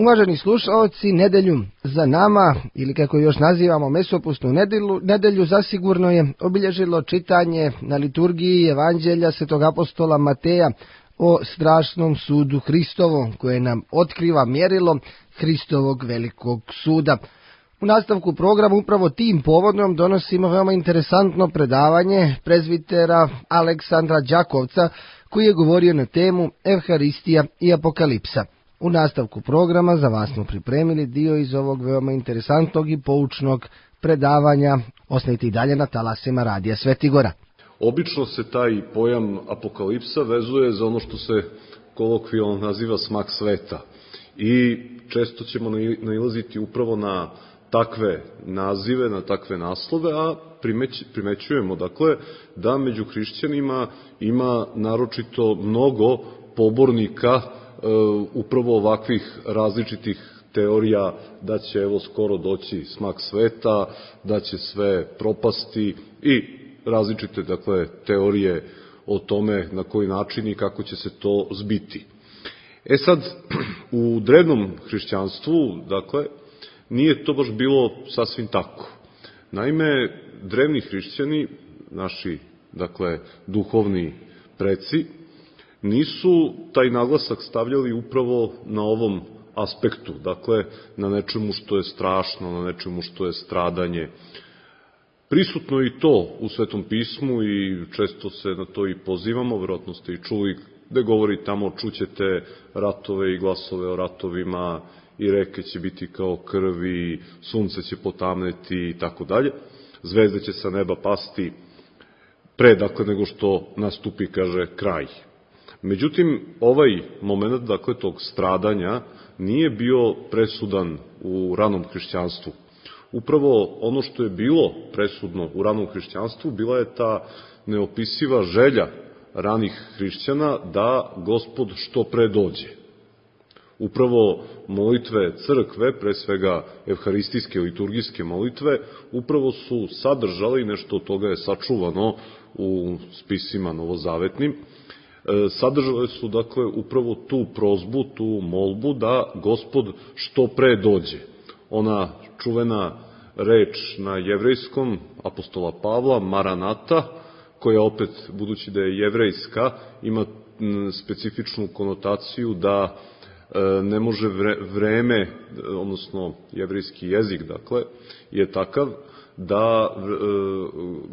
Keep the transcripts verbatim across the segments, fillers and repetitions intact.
Uvaženi slušalci, nedelju za nama, ili kako još nazivamo mesopusnu nedelju, nedelju zasigurno je obilježilo čitanje na liturgiji Evanđelja svetog apostola Mateja o strašnom sudu Hristovom, koje nam otkriva mjerilo Hristovog velikog suda. U nastavku programa upravo tim povodom donosimo veoma interesantno predavanje prezbitera Aleksandra Đakovca, koji je govorio na temu Evharistija i Apokalipsa. U nastavku programa za vas smo pripremili dio iz ovog veoma interesantnog i poučnog predavanja. Ostanite i dalje na talasima Radija Svetigora. Obično se taj pojam apokalipsa vezuje za ono što se kolokvijalno naziva smak sveta. I često ćemo nailaziti upravo na takve nazive, na takve naslove, a primeć, primećujemo dakle da među hrišćanima ima naročito mnogo pobornika upravo ovakvih različitih teorija da će evo skoro doći smak sveta, da će sve propasti i različite dakle teorije o tome na koji način i kako će se to zbiti. E sad, u drevnom hrišćanstvu, dakle, nije to baš bilo sasvim tako. Naime, drevni hrišćani, naši, dakle, duhovni preci, nisu taj naglasak stavljali upravo na ovom aspektu, dakle, na nečemu što je strašno, na nečemu što je stradanje. Prisutno je i to u Svetom pismu i često se na to i pozivamo, verovatno ste i čuli, gde govori tamo čućete ratove i glasove o ratovima, i reke će biti kao krv, i sunce će potamneti i tako dalje. Zvezde će sa neba pasti pre, dakle, nego što nastupi, kaže, kraj. Međutim, ovaj moment, dakle, tog stradanja nije bio presudan u ranom hrišćanstvu. Upravo ono što je bilo presudno u ranom hrišćanstvu bila je ta neopisiva želja ranih hrišćana da Gospod što pre dođe. Upravo molitve crkve, pre svega evharistijske, liturgijske molitve, upravo su sadržali, nešto od toga je sačuvano u spisima novozavetnim, sadržale su, dakle, upravo tu prozbu, tu molbu da Gospod što pre dođe. Ona čuvena reč na jevrejskom apostola Pavla, Maranata, koja opet, budući da je jevrejska, ima specifičnu konotaciju da ne može vreme, odnosno jevrejski jezik, dakle, je takav da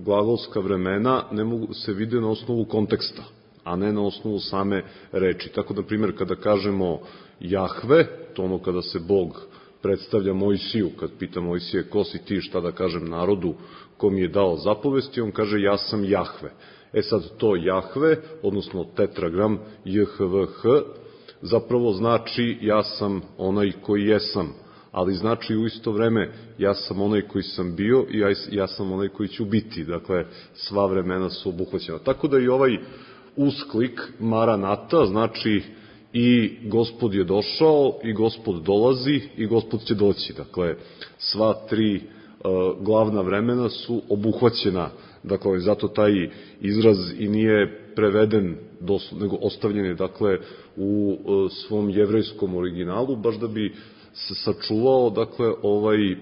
glagolska vremena ne mogu se vide na osnovu konteksta, a ne na osnovu same reči. Tako, na primjer, kada kažemo Jahve, to ono kada se Bog predstavlja Mojsiju, kad pita Mojsije ko si ti, šta da kažem narodu ko mi je dao zapovesti, on kaže ja sam Jahve. E sad to Jahve, odnosno tetragram J H V H, zapravo znači ja sam onaj koji jesam, ali znači u isto vreme ja sam onaj koji sam bio i ja, ja sam onaj koji ću biti. Dakle, sva vremena su obuhvaćena. Tako da i ovaj usklik Maranata znači i Gospod je došao, i Gospod dolazi, i Gospod će doći. Dakle, sva tri uh, glavna vremena su obuhvaćena. Dakle, zato taj izraz i nije preveden, doslovno, nego ostavljen je, dakle, u uh, svom jevrejskom originalu, baš da bi se sačuvao, dakle, ovaj uh,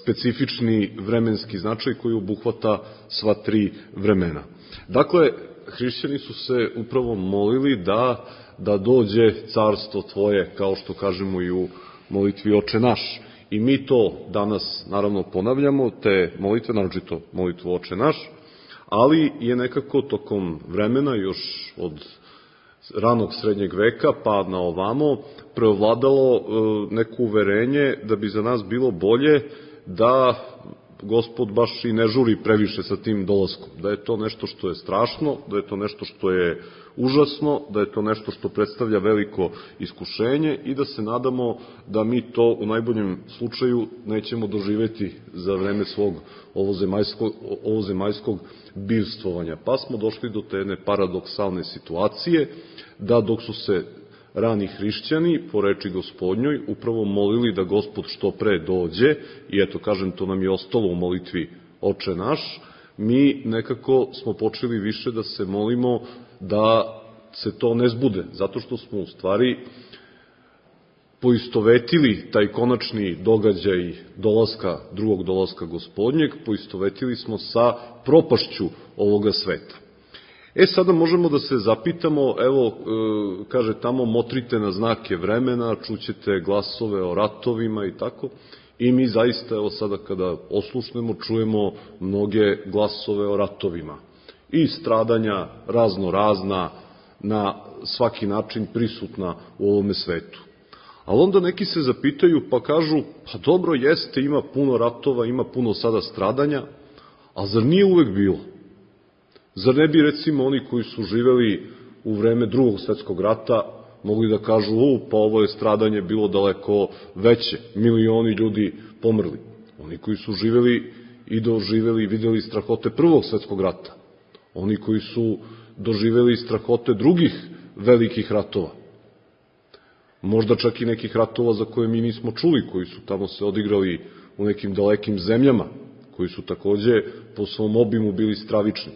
specifični vremenski značaj koji obuhvata sva tri vremena. Dakle, hrišćani su se upravo molili da, da dođe carstvo tvoje, kao što kažemo i u molitvi Oče naš. I mi to danas, naravno, ponavljamo, te molitve, naročito molitvu Oče naš, ali je nekako tokom vremena, još od ranog srednjeg veka pa na ovamo, preovladalo neko uverenje da bi za nas bilo bolje da Gospod baš i ne žuri previše sa tim dolaskom, da je to nešto što je strašno, da je to nešto što je užasno, da je to nešto što predstavlja veliko iskušenje i da se nadamo da mi to u najboljem slučaju nećemo doživeti za vreme svog ovozemaljskog, ovozemaljskog bivstvovanja. Pa smo došli do te jedne paradoksalne situacije da dok su se rani hrišćani, po reči Gospodnjoj, upravo molili da Gospod što pre dođe, i eto, kažem, to nam je ostalo u molitvi Oče naš, mi nekako smo počeli više da se molimo da se to ne zbude, zato što smo u stvari poistovetili taj konačni događaj dolaska, drugog dolaska Gospodnjeg, poistovetili smo sa propašću ovoga sveta. E, sada možemo da se zapitamo, evo, e, kaže tamo, motrite na znake vremena, čućete glasove o ratovima i tako, i mi zaista, evo sada kada oslušnemo, čujemo mnoge glasove o ratovima i stradanja razno razna, na svaki način prisutna u ovome svetu. Ali onda neki se zapitaju pa kažu, pa dobro jeste, ima puno ratova, ima puno sada stradanja, a zar nije uvek bilo? Zar ne bi recimo oni koji su živeli u vreme drugog svetskog rata mogli da kažu, u, pa ovo je stradanje bilo daleko veće, milioni ljudi pomrli. Oni koji su živeli i doživeli i videli strahote prvog svetskog rata, oni koji su doživeli strahote drugih velikih ratova, možda čak i nekih ratova za koje mi nismo čuli, koji su tamo se odigrali u nekim dalekim zemljama, koji su takođe po svom obimu bili stravični.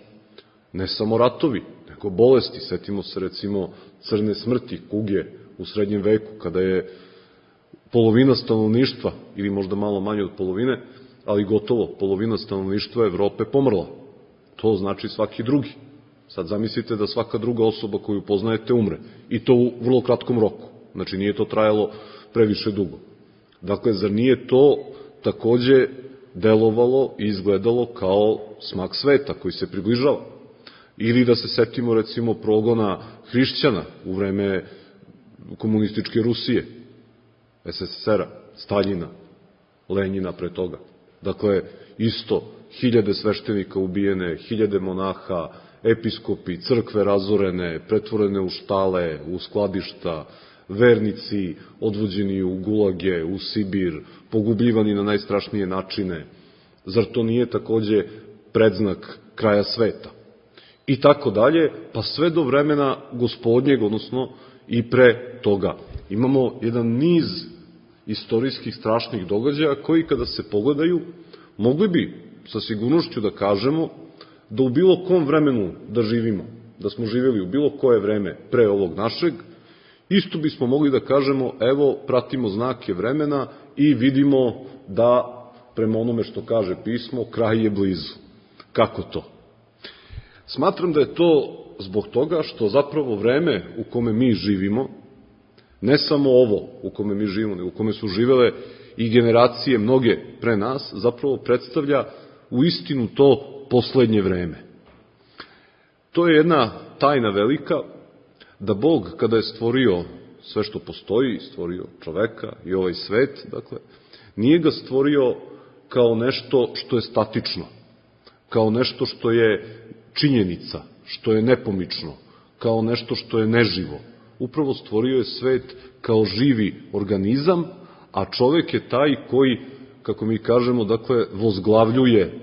Ne samo ratovi, nego bolesti. Setimo se recimo crne smrti, kuge u srednjem veku, kada je polovina stanovništva, ili možda malo manje od polovine, ali gotovo polovina stanovništva Evrope pomrla. To znači svaki drugi. Sad zamislite da svaka druga osoba koju poznajete umre. I to u vrlo kratkom roku. Znači nije to trajalo previše dugo. Dakle, zar nije to takođe delovalo i izgledalo kao smak sveta koji se približava? Ili da se setimo recimo progona hrišćana u vreme komunističke Rusije, es es es era, Staljina, Lenjina pre toga. Dakle, isto, hiljade sveštenika ubijene, hiljade monaha, episkopi, crkve razorene, pretvorene u štale, u skladišta, vernici odvođeni u gulage, u Sibir, pogubljivani na najstrašnije načine. Zar to nije takođe predznak kraja sveta? I tako dalje, pa sve do vremena Gospodnjeg, odnosno i pre toga. Imamo jedan niz istorijskih strašnih događaja koji kada se pogledaju, mogli bi sa sigurnošću da kažemo da u bilo kom vremenu da živimo, da smo živjeli u bilo koje vreme pre ovog našeg, isto bismo mogli da kažemo, evo, pratimo znake vremena i vidimo da, prema onome što kaže pismo, kraj je blizu. Kako to? Smatram da je to zbog toga što zapravo vreme u kome mi živimo, ne samo ovo u kome mi živimo, nego u kome su živele i generacije mnoge pre nas, zapravo predstavlja u istinu to poslednje vreme. To je jedna tajna velika, da Bog kada je stvorio sve što postoji, stvorio čoveka i ovaj svet, dakle, nije ga stvorio kao nešto što je statično, kao nešto što je činjenica, što je nepomično, kao nešto što je neživo. Upravo stvorio je svet kao živi organizam, a čovek je taj koji, kako mi kažemo, dakle, vozglavljuje,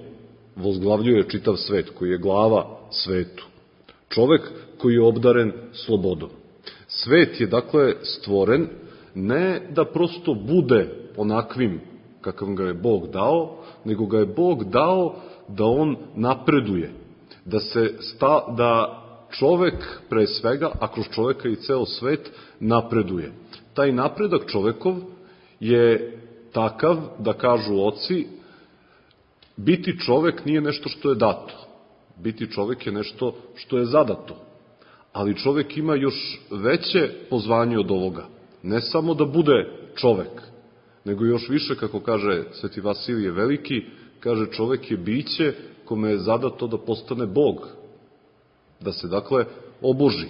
vozglavljuje čitav svet, koji je glava svetu. Čovek koji je obdaren slobodom. Svet je, dakle, stvoren ne da prosto bude onakvim kakav ga je Bog dao, nego ga je Bog dao da on napreduje, da se sta, da čovek pre svega, a kroz čoveka i ceo svet, napreduje. Taj napredak čovekov je takav, da kažu oci, biti čovek nije nešto što je dato. Biti čovek je nešto što je zadato. Ali čovek ima još veće pozvanje od ovoga. Ne samo da bude čovek, nego još više, kako kaže Sveti Vasilije Veliki, kaže čovek je biće kome je zadato da postane Bog, da se dakle oboži.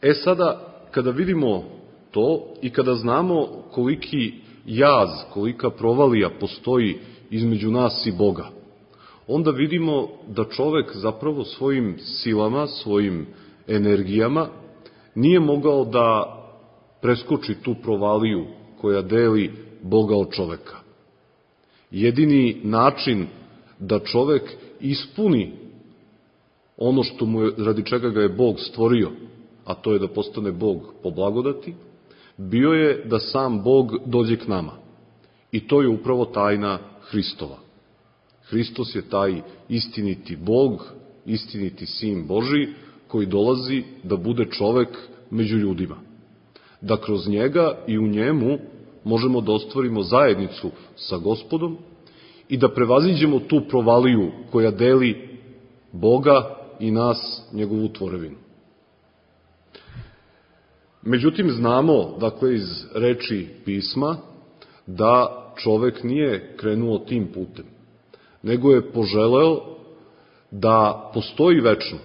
E sada, kada vidimo to i kada znamo koliki jaz, kolika provalija postoji između nas i Boga, onda vidimo da čovek zapravo svojim silama, svojim energijama nije mogao da preskoči tu provaliju koja deli Boga od čoveka. Jedini način da čovek ispuni ono što mu je, radi čega ga je Bog stvorio, a to je da postane Bog po blagodati, bio je da sam Bog dođe k nama. I to je upravo tajna Hristova. Hristos je taj istiniti Bog, istiniti Sin Božiji, koji dolazi da bude čovek među ljudima. da kroz njega i u njemu možemo da ostvarimo zajednicu sa Gospodom i da prevaziđemo tu provaliju koja deli Boga i nas, njegovu tvorevinu. Međutim, znamo, dakle, iz reči pisma, da čovek nije krenuo tim putem, nego je poželeo da postoji večno,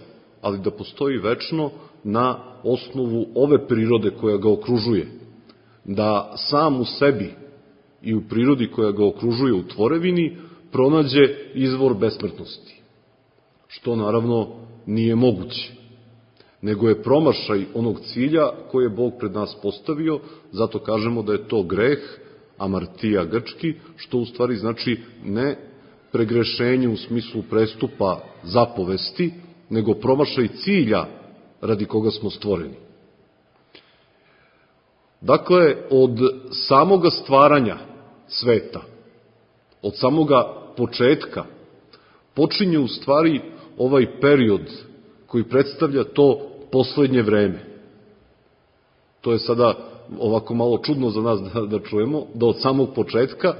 ali da postoji večno na osnovu ove prirode koja ga okružuje, da sam u sebi i u prirodi koja ga okružuje u tvorevini pronađe izvor besmrtnosti, što naravno nije moguće, nego je promašaj onog cilja koje je Bog pred nas postavio, zato kažemo da je to greh, amartija grčki, što u stvari znači ne pregrešenje u smislu prestupa zapovesti, nego promašaj cilja radi koga smo stvoreni. Dakle, od samoga stvaranja sveta, od samoga početka, počinje u stvari ovaj period koji predstavlja to poslednje vreme. To je sada ovako malo čudno za nas da, da čujemo, da od samog početka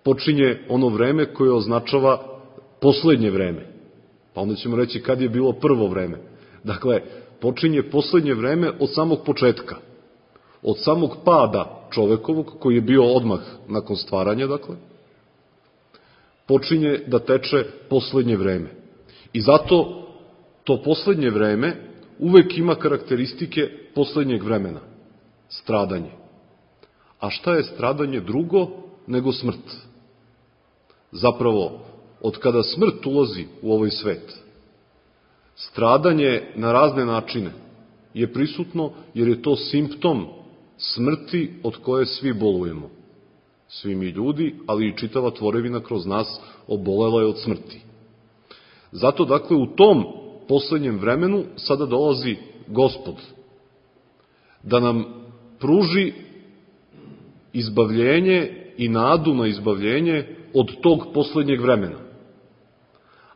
počinje ono vreme koje označava poslednje vreme. Pa onda ćemo reći kad je bilo prvo vreme. Dakle, počinje poslednje vreme od samog početka. Od samog pada čovekovog, koji je bio odmah nakon stvaranja, dakle, počinje da teče poslednje vreme. I zato to poslednje vreme uvek ima karakteristike poslednjeg vremena. Stradanje. A šta je stradanje drugo nego smrt? Zapravo, od kada smrt ulazi u ovaj svet, stradanje na razne načine je prisutno jer je to simptom smrti od koje svi bolujemo. Svi mi ljudi, ali i čitava tvorevina kroz nas obolela je od smrti. Zato, dakle, u tom poslednjem vremenu sada dolazi Gospod da nam pruži izbavljenje i nadu na izbavljenje od tog poslednjeg vremena.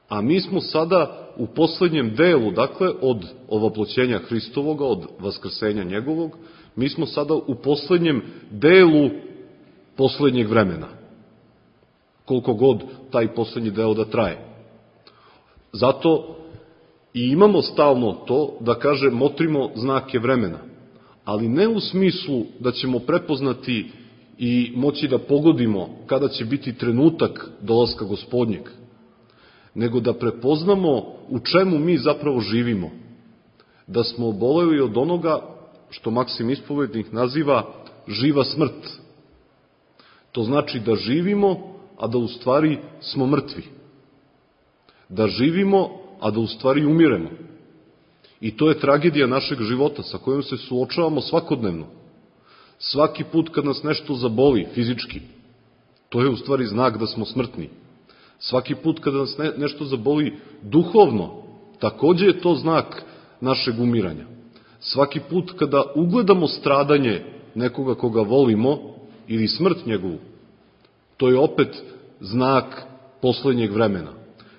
A mi smo sada u poslednjem delu, dakle, od ovoploćenja Hristovoga, od vaskrsenja njegovog, mi smo sada u poslednjem delu poslednjeg vremena. Koliko god taj poslednji deo da traje. Zato i imamo stalno to da, kaže, motrimo znake vremena, ali ne u smislu da ćemo prepoznati i moći da pogodimo kada će biti trenutak dolaska Gospodnjeg, nego da prepoznamo u čemu mi zapravo živimo, da smo oboleli od onoga što Maksim Ispovednik naziva živa smrt. To znači da živimo, a da u stvari smo mrtvi. Da živimo, a da u stvari umiremo. I to je tragedija našeg života sa kojom se suočavamo svakodnevno. Svaki put kad nas nešto zaboli fizički, to je u stvari znak da smo smrtni. Svaki put kada nas ne, nešto zaboli duhovno, takođe je to znak našeg umiranja. Svaki put kada ugledamo stradanje nekoga koga volimo ili smrt njegovu, to je opet znak poslednjeg vremena.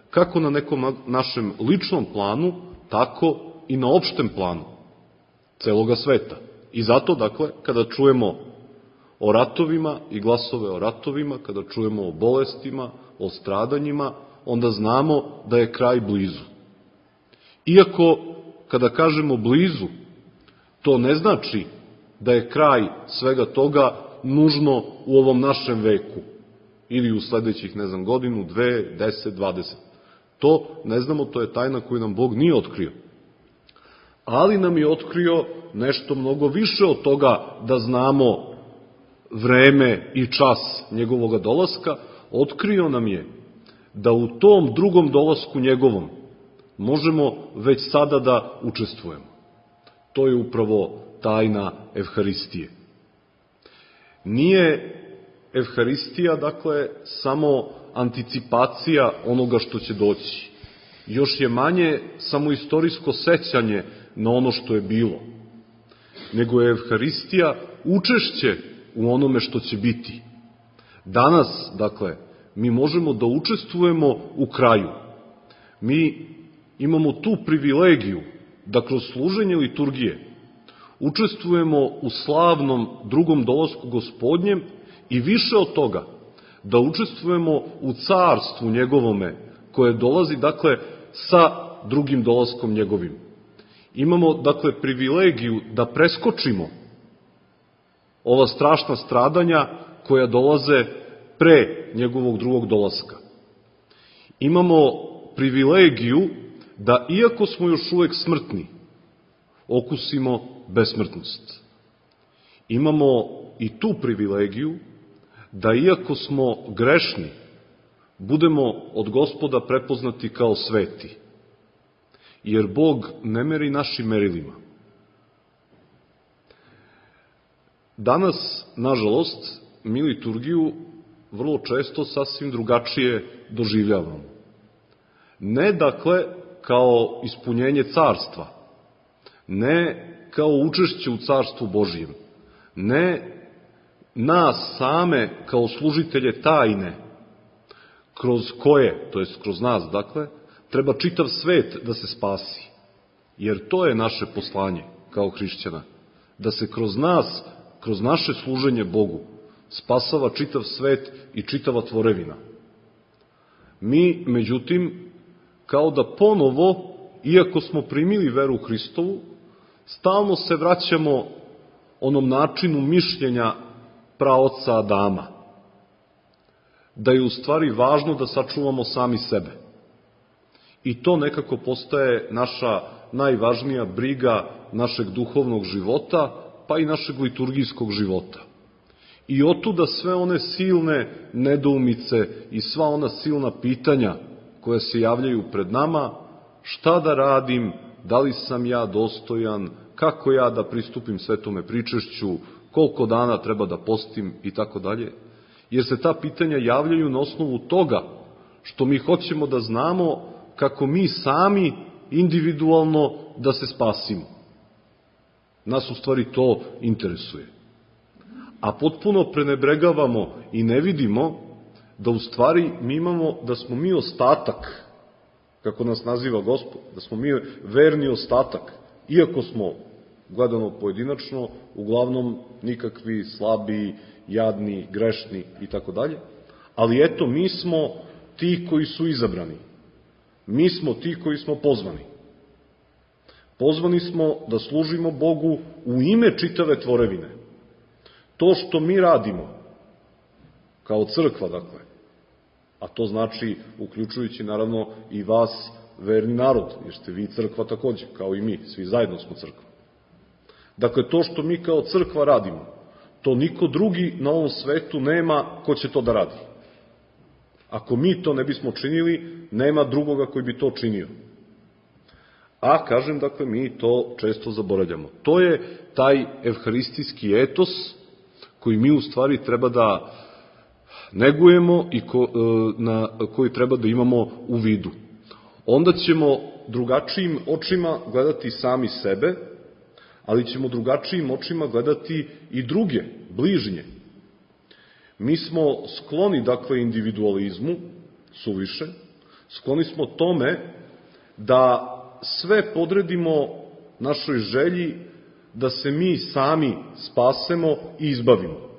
Kako na nekom našem ličnom planu, tako i na opštem planu celoga sveta. I zato, dakle, kada čujemo o ratovima i glasove o ratovima, kada čujemo o bolestima, o stradanjima, onda znamo da je kraj blizu. Iako, kada kažemo blizu, to ne znači da je kraj svega toga nužno u ovom našem veku ili u sledećih, ne znam, godinu, dve, deset, dvadeset. To ne znamo, to je tajna koju nam Bog nije otkrio. Ali nam je otkrio nešto mnogo više od toga da znamo vreme i čas njegovoga dolaska. Otkrio nam je da u tom drugom dolasku njegovom možemo već sada da učestvujemo. To je upravo tajna Evharistije. Nije Evharistija, dakle, samo anticipacija onoga što će doći. Još je manje samo istorijsko sećanje na ono što je bilo. Nego je Evharistija učešće u onome što će biti. Danas, dakle, mi možemo da učestvujemo u kraju. Mi imamo tu privilegiju da kroz služenje liturgije učestvujemo u slavnom drugom dolasku Gospodnjem i više od toga, da učestvujemo u carstvu njegovome, koje dolazi, dakle, sa drugim dolaskom njegovim. Imamo, dakle, privilegiju da preskočimo ova strašna stradanja koja dolaze pre njegovog drugog dolaska. Imamo privilegiju da, iako smo još uvek smrtni, okusimo besmrtnost. Imamo i tu privilegiju da, iako smo grešni, budemo od Gospoda prepoznati kao sveti, jer Bog ne meri našim merilima. Danas, nažalost, mi liturgiju vrlo često sasvim drugačije doživljavamo. Ne, dakle, kao ispunjenje carstva, ne kao učešće u carstvu Božijem, ne nas same kao služitelje tajne, kroz koje, to jest kroz nas, dakle, treba čitav svet da se spasi. Jer to je naše poslanje kao hrišćana, da se kroz nas, kroz naše služenje Bogu, spasava čitav svet i čitava tvorevina. Mi, međutim, kao da ponovo, iako smo primili veru Hristovu, stalno se vraćamo onom načinu mišljenja praoca Adama, da je u stvari važno da sačuvamo sami sebe. I to nekako postaje naša najvažnija briga našeg duhovnog života, pa i našeg liturgijskog života. I otuda sve one silne nedoumice i sva ona silna pitanja koja se javljaju pred nama, šta da radim, da li sam ja dostojan, kako ja da pristupim svetome pričešću, koliko dana treba da postim i tako dalje. Jer se ta pitanja javljaju na osnovu toga što mi hoćemo da znamo kako mi sami individualno da se spasimo. Nas u stvari to interesuje. A potpuno prenebregavamo i ne vidimo da u stvari mi imamo, da smo mi ostatak, kako nas naziva Gospod, da smo mi verni ostatak, iako smo, gledano pojedinačno, uglavnom nikakvi, slabi, jadni, grešni i tako dalje, ali eto, mi smo ti koji su izabrani. Mi smo ti koji smo pozvani. Pozvani smo da služimo Bogu u ime čitave tvorevine. To što mi radimo, kao crkva, dakle, a to znači, uključujući naravno i vas, verni narod, jer ste vi crkva takođe, kao i mi, svi zajedno smo crkva. Dakle, to što mi kao crkva radimo, to niko drugi na ovom svetu nema ko će to da radi. Ako mi to ne bismo činili, nema drugoga koji bi to činio. A, kažem, dakle, mi to često zaboravljamo. To je taj evharistijski etos koji mi u stvari treba da negujemo i ko, na koji treba da imamo u vidu. Onda ćemo drugačijim očima gledati sami sebe, ali ćemo drugačijim očima gledati i druge, bližnje. Mi smo skloni, dakle, individualizmu, suviše, skloni smo tome da sve podredimo našoj želji da se mi sami spasemo i izbavimo.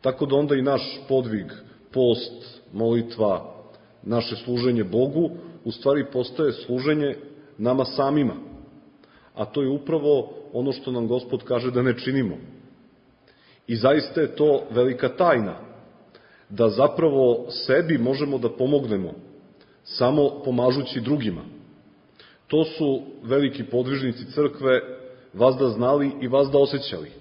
Tako da onda i naš podvig, post, molitva, naše služenje Bogu, u stvari postaje služenje nama samima. A to je upravo ono što nam Gospod kaže da ne činimo. I zaista je to velika tajna, da zapravo sebi možemo da pomognemo samo pomažući drugima. To su veliki podvižnici crkve vazda znali i vazda osjećali.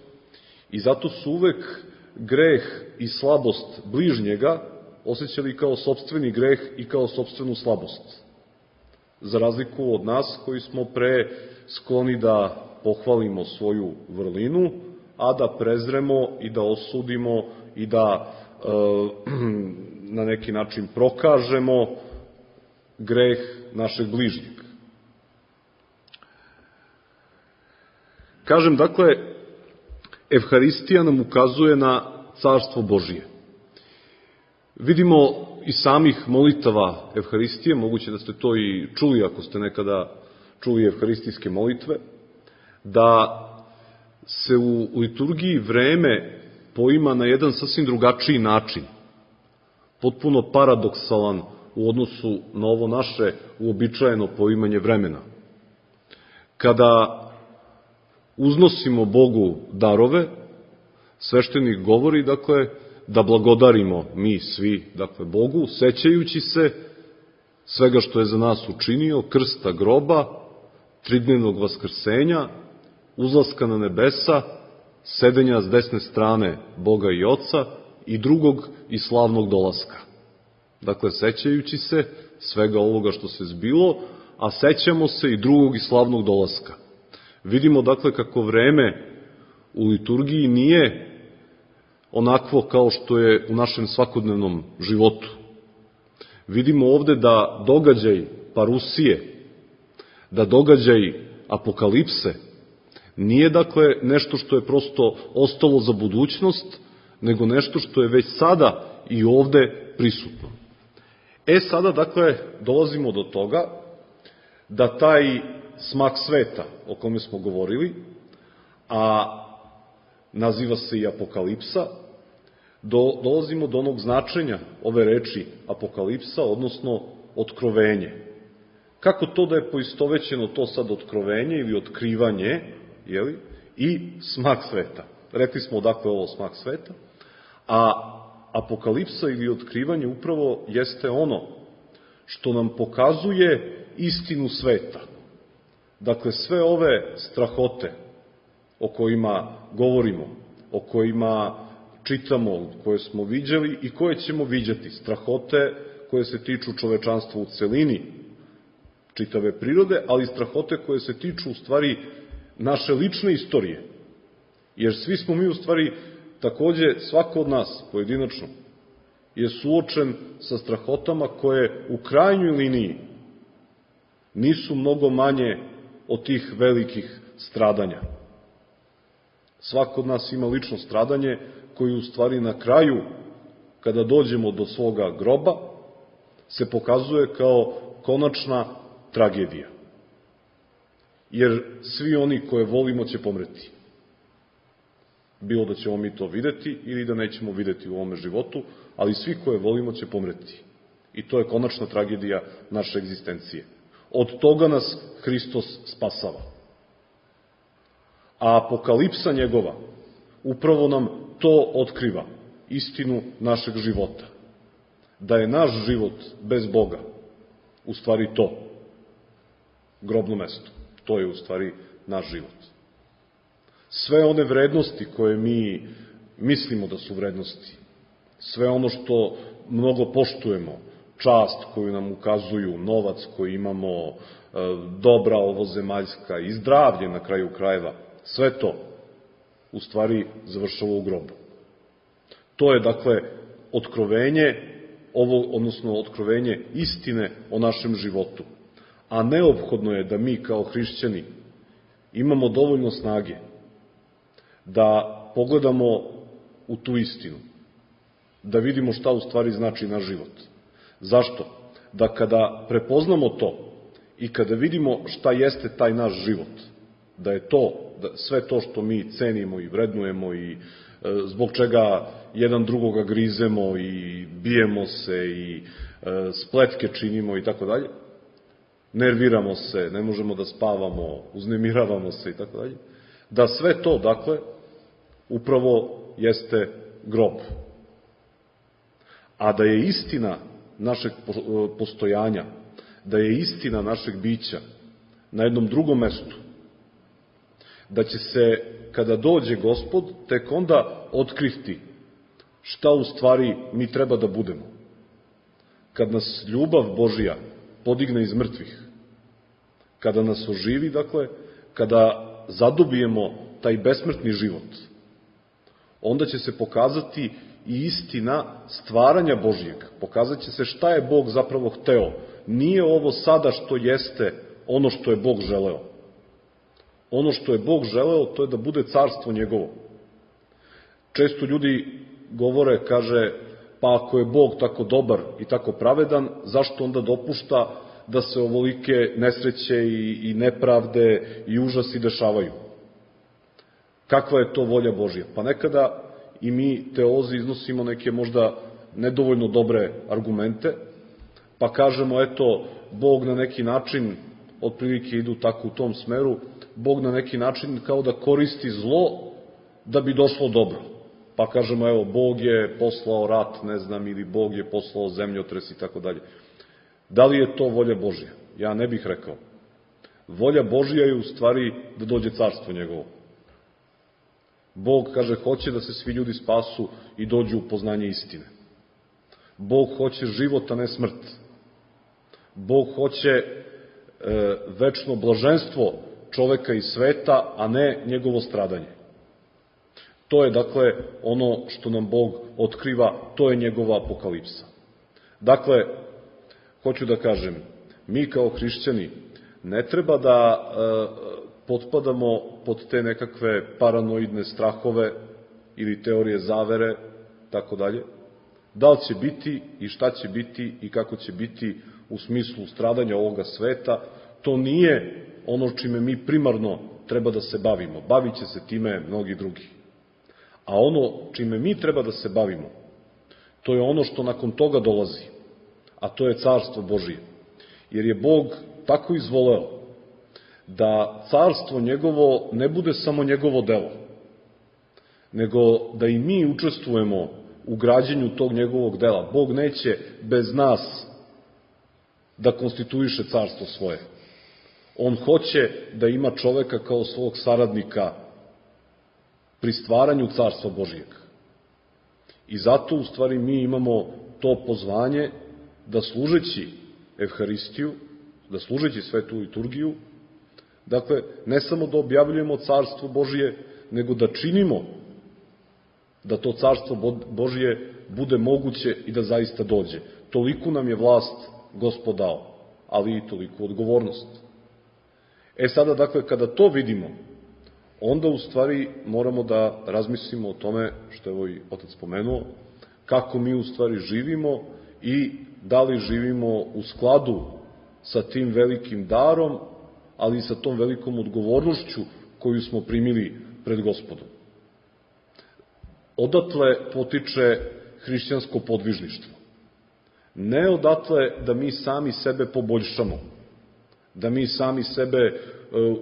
I zato su uvek greh i slabost bližnjega osjećali kao sopstveni greh i kao sopstvenu slabost. Za razliku od nas koji smo pre skloni da pohvalimo svoju vrlinu, a da prezremo i da osudimo i da e, na neki način prokažemo greh našeg bližnjeg. Kažem, dakle, Evharistija nam ukazuje na carstvo Božije. Vidimo iz samih molitava Evharistije, moguće da ste to i čuli ako ste nekada čuli evharistijske molitve, da se u liturgiji vreme poima na jedan sasvim drugačiji način, potpuno paradoksalan u odnosu na ovo naše uobičajeno poimanje vremena. Kada uznosimo Bogu darove, sveštenik govori, dakle, da blagodarimo mi svi, dakle, Bogu, sećajući se svega što je za nas učinio, krsta groba, tridnevnog vaskrsenja, uzlaska na nebesa, sedenja s desne strane Boga i Oca i drugog i slavnog dolaska. Dakle, sećajući se svega ovoga što se zbilo, a sećamo se i drugog i slavnog dolaska. Vidimo, dakle, kako vreme u liturgiji nije onakvo kao što je u našem svakodnevnom životu. Vidimo ovde da događaj parusije, da događaj apokalipse nije, dakle, nešto što je prosto ostalo za budućnost, nego nešto što je već sada i ovde prisutno. E sada, dakle, dolazimo do toga da taj smak sveta o kome smo govorili, a naziva se i apokalipsa, do, dolazimo do onog značenja ove reči apokalipsa, odnosno otkrovenje. Kako to da je poistovećeno to sad otkrovenje ili otkrivanje, jeli, i smak sveta? Rekli smo odakle ovo smak sveta, a apokalipsa ili otkrivanje upravo jeste ono što nam pokazuje istinu sveta. Dakle, sve ove strahote o kojima govorimo, o kojima čitamo, koje smo viđali i koje ćemo viđati, strahote koje se tiču čovečanstva u celini, čitave prirode, ali strahote koje se tiču u stvari naše lične istorije. Jer svi smo mi u stvari, takođe svako od nas pojedinačno, je suočen sa strahotama koje u krajnjoj liniji nisu mnogo manje od tih velikih stradanja. Svako od nas ima lično stradanje koji u stvari na kraju, kada dođemo do svoga groba, se pokazuje kao konačna tragedija. Jer svi oni koje volimo će pomreti. Bilo da ćemo mi to videti ili da nećemo videti u ovome životu, ali svi koje volimo će pomreti. I to je konačna tragedija naše egzistencije. Od toga nas Hristos spasava. A apokalipsa njegova upravo nam to otkriva, istinu našeg života. Da je naš život bez Boga u stvari to, grobno mesto. To je u stvari naš život. Sve one vrednosti koje mi mislimo da su vrednosti, sve ono što mnogo poštujemo, čast koju nam ukazuju, novac koji imamo, dobra ovozemaljska i zdravlje na kraju krajeva, sve to u stvari završava u grobu. To je, dakle, otkrovenje, ovo, odnosno otkrovenje istine o našem životu. A neophodno je da mi kao hrišćani imamo dovoljno snage da pogledamo u tu istinu, da vidimo šta u stvari znači naš život. Zašto? Da kada prepoznamo to i kada vidimo šta jeste taj naš život, da je to, da sve to što mi cenimo i vrednujemo i e, zbog čega jedan drugoga grizemo i bijemo se i e, spletke činimo i tako dalje, nerviramo se, ne možemo da spavamo, uznemiravamo se i tako dalje, da sve to, dakle, upravo jeste grob. A da je istina našeg postojanja, da je istina našeg bića na jednom drugom mestu, da će se, kada dođe Gospod, tek onda otkriti šta u stvari mi treba da budemo. Kad nas ljubav Božija podigne iz mrtvih, kada nas oživi, dakle, kada zadobijemo taj besmrtni život, onda će se pokazati i istina stvaranja Božijeg. Pokazat će se šta je Bog zapravo hteo. Nije ovo sada što jeste ono što je Bog želeo. Ono što je Bog želeo, to je da bude carstvo njegovo. Često ljudi govore, kaže, pa ako je Bog tako dobar i tako pravedan, zašto onda dopušta da se ovolike nesreće i, i nepravde i užasi dešavaju? Kakva je to volja Božja? Pa nekada i mi teolozi iznosimo neke možda nedovoljno dobre argumente, pa kažemo, eto, Bog na neki način, otprilike idu tako u tom smeru, Bog na neki način kao da koristi zlo da bi došlo dobro. Pa kažemo, evo, Bog je poslao rat, ne znam, ili Bog je poslao zemljotres i tako dalje. Da li je to volja Božja? Ja ne bih rekao. Volja Božja je u stvari da dođe carstvo njegovo. Bog, kaže, hoće da se svi ljudi spasu i dođu u poznanje istine. Bog hoće život, a ne smrt. Bog hoće e, večno blaženstvo čoveka i sveta, a ne njegovo stradanje. To je, dakle, ono što nam Bog otkriva, to je njegova apokalipsa. Dakle, hoću da kažem, mi kao hrišćani ne treba da e, potpadamo pod te nekakve paranoidne strahove ili teorije zavere, tako dalje. Da li će biti i šta će biti i kako će biti u smislu stradanja ovoga sveta, to nije ono čime mi primarno treba da se bavimo. Bavit će se time mnogi drugi. A ono čime mi treba da se bavimo, to je ono što nakon toga dolazi, a to je carstvo Božije. Jer je Bog tako izvoleo da carstvo njegovo ne bude samo njegovo delo, nego da i mi učestvujemo u građenju tog njegovog dela. Bog neće bez nas da konstituiše carstvo svoje. On hoće da ima čoveka kao svog saradnika pri stvaranju carstva Božijeg. I zato, u stvari, mi imamo to pozvanje da služeći Evharistiju, da služeći svetu liturgiju, dakle, ne samo da objavljujemo carstvo Božije, nego da činimo da to carstvo Božije bude moguće i da zaista dođe. Toliko nam je vlast Gospod dao, ali i toliko odgovornost. E sada, dakle, kada to vidimo, onda u stvari moramo da razmislimo o tome, što je ovo i otac spomenuo, kako mi u stvari živimo i da li živimo u skladu sa tim velikim darom, ali i sa tom velikom odgovornošću koju smo primili pred Gospodom. Odatle potiče hrišćansko podvižništvo. Ne odatle da mi sami sebe poboljšamo, da mi sami sebe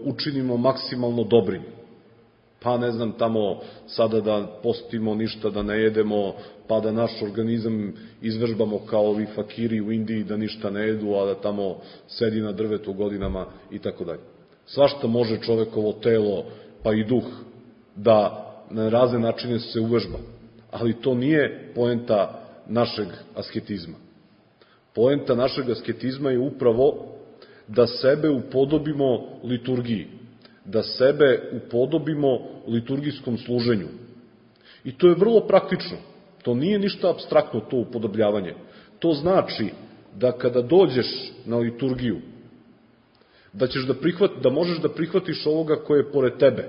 učinimo maksimalno dobrim. Pa ne znam, tamo sada da postimo, ništa da ne jedemo, pa da naš organizam izvežbamo kao ovi fakiri u Indiji, da ništa ne jedu, a da tamo sedi na drvetu godinama i tako dalje. Svašta može čovekovo telo, pa i duh, da na razne načine se uvežba. Ali to nije poenta našeg asketizma. Poenta našeg asketizma je upravo da sebe upodobimo liturgiji, da sebe upodobimo liturgijskom služenju. I to je vrlo praktično. To nije ništa apstraktno, to upodobljavanje. To znači da kada dođeš na liturgiju, da, ćeš da, prihvat, da možeš da prihvatiš ovoga koje je pored tebe.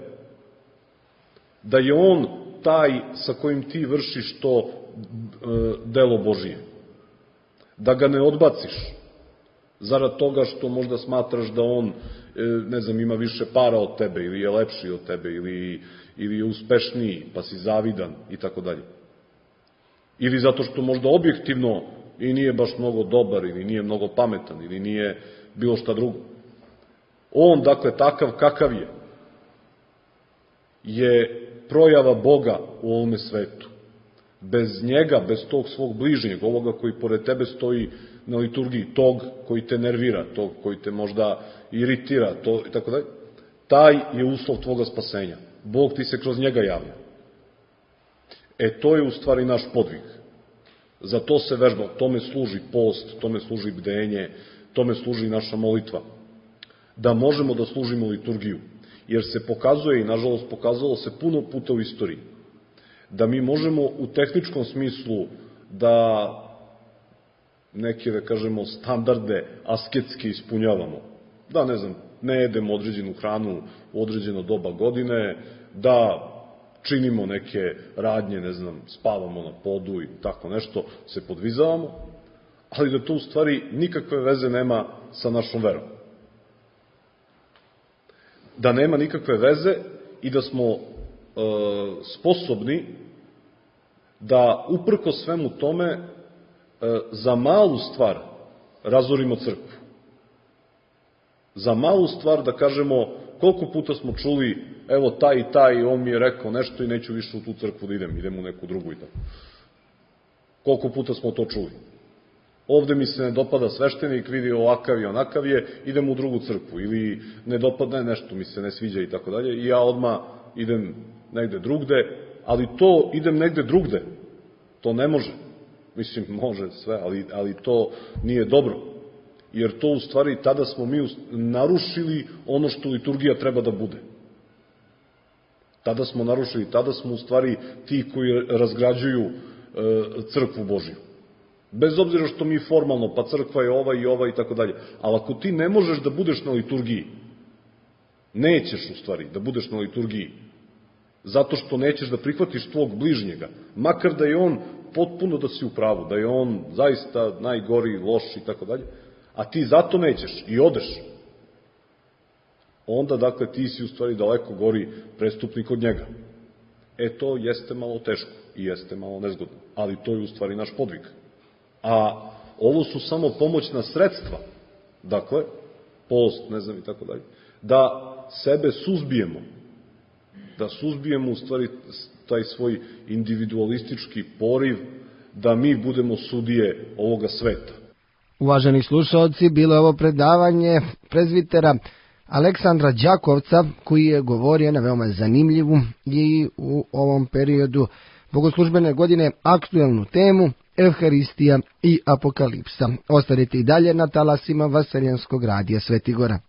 Da je on taj sa kojim ti vršiš to e, delo Božije. Da ga ne odbaciš zarad toga što možda smatraš da on, ne znam, ima više para od tebe, ili je lepši od tebe, ili, ili je uspešniji, pa si zavidan, i tako dalje. Ili zato što možda objektivno i nije baš mnogo dobar, ili nije mnogo pametan, ili nije bilo šta drugo. On, dakle, takav kakav je, je projava Boga u ovome svetu. Bez njega, bez tog svog bližnjeg, ovoga koji pored tebe stoji na liturgiji, tog koji te nervira, tog koji te možda iritira, to i tako dalje, taj je uslov tvoga spasenja. Bog ti se kroz njega javlja. E, to je u stvari naš podvig. Za to se vežba, tome služi post, tome služi bdenje, tome služi naša molitva. Da možemo da služimo liturgiju. Jer se pokazuje, i nažalost pokazalo se puno puta u istoriji, da mi možemo u tehničkom smislu da neke, da kažemo, standarde asketske ispunjavamo. Da, ne znam, ne jedemo određenu hranu u određeno doba godine, da činimo neke radnje, ne znam, spavamo na podu i tako nešto, se podvizavamo, ali da to u stvari nikakve veze nema sa našom verom. Da nema nikakve veze i da smo sposobni da uprko svemu tome za malu stvar razorimo crkvu. Za malu stvar da kažemo koliko puta smo čuli, evo taj i taj, on mi je rekao nešto i neću više u tu crkvu da idem, idem u neku drugu i tako. Koliko puta smo to čuli. Ovde mi se ne dopada sveštenik, vidi ovakav i onakav je, idem u drugu crkvu. Ili ne dopadne nešto, mi se ne sviđa i tako dalje. I ja odmah idem negde drugde, ali to idem negde drugde. To ne može. Mislim, može sve, ali, ali to nije dobro. Jer to u stvari tada smo mi narušili ono što liturgija treba da bude. Tada smo narušili, tada smo u stvari ti koji razgrađuju e, crkvu Božju. Bez obzira što mi formalno, pa crkva je ova i ova i tako dalje. Ali ako ti ne možeš da budeš na liturgiji, nećeš u stvari da budeš na liturgiji, zato što nećeš da prihvatiš tvog bližnjega, makar da je on potpuno da si u pravu, da je on zaista najgori, loš i tako dalje, a ti zato nećeš i odeš, onda, dakle, ti si u stvari daleko gori prestupnik od njega. E, to jeste malo teško i jeste malo nezgodno, ali to je u stvari naš podvig. A ovo su samo pomoćna sredstva, dakle, post, ne znam i tako dalje, da sebe suzbijemo, da suzbijemo u stvari taj svoj individualistički poriv, da mi budemo sudije ovoga sveta. Uvaženi slušalci, bilo je ovo predavanje prezbitera Aleksandra Đakovca, koji je govorio na veoma zanimljivu i u ovom periodu bogoslužbene godine aktuelnu temu Evharistija i Apokalipsa. Ostanite i dalje na talasima Vaseljenskog radija Svetigora.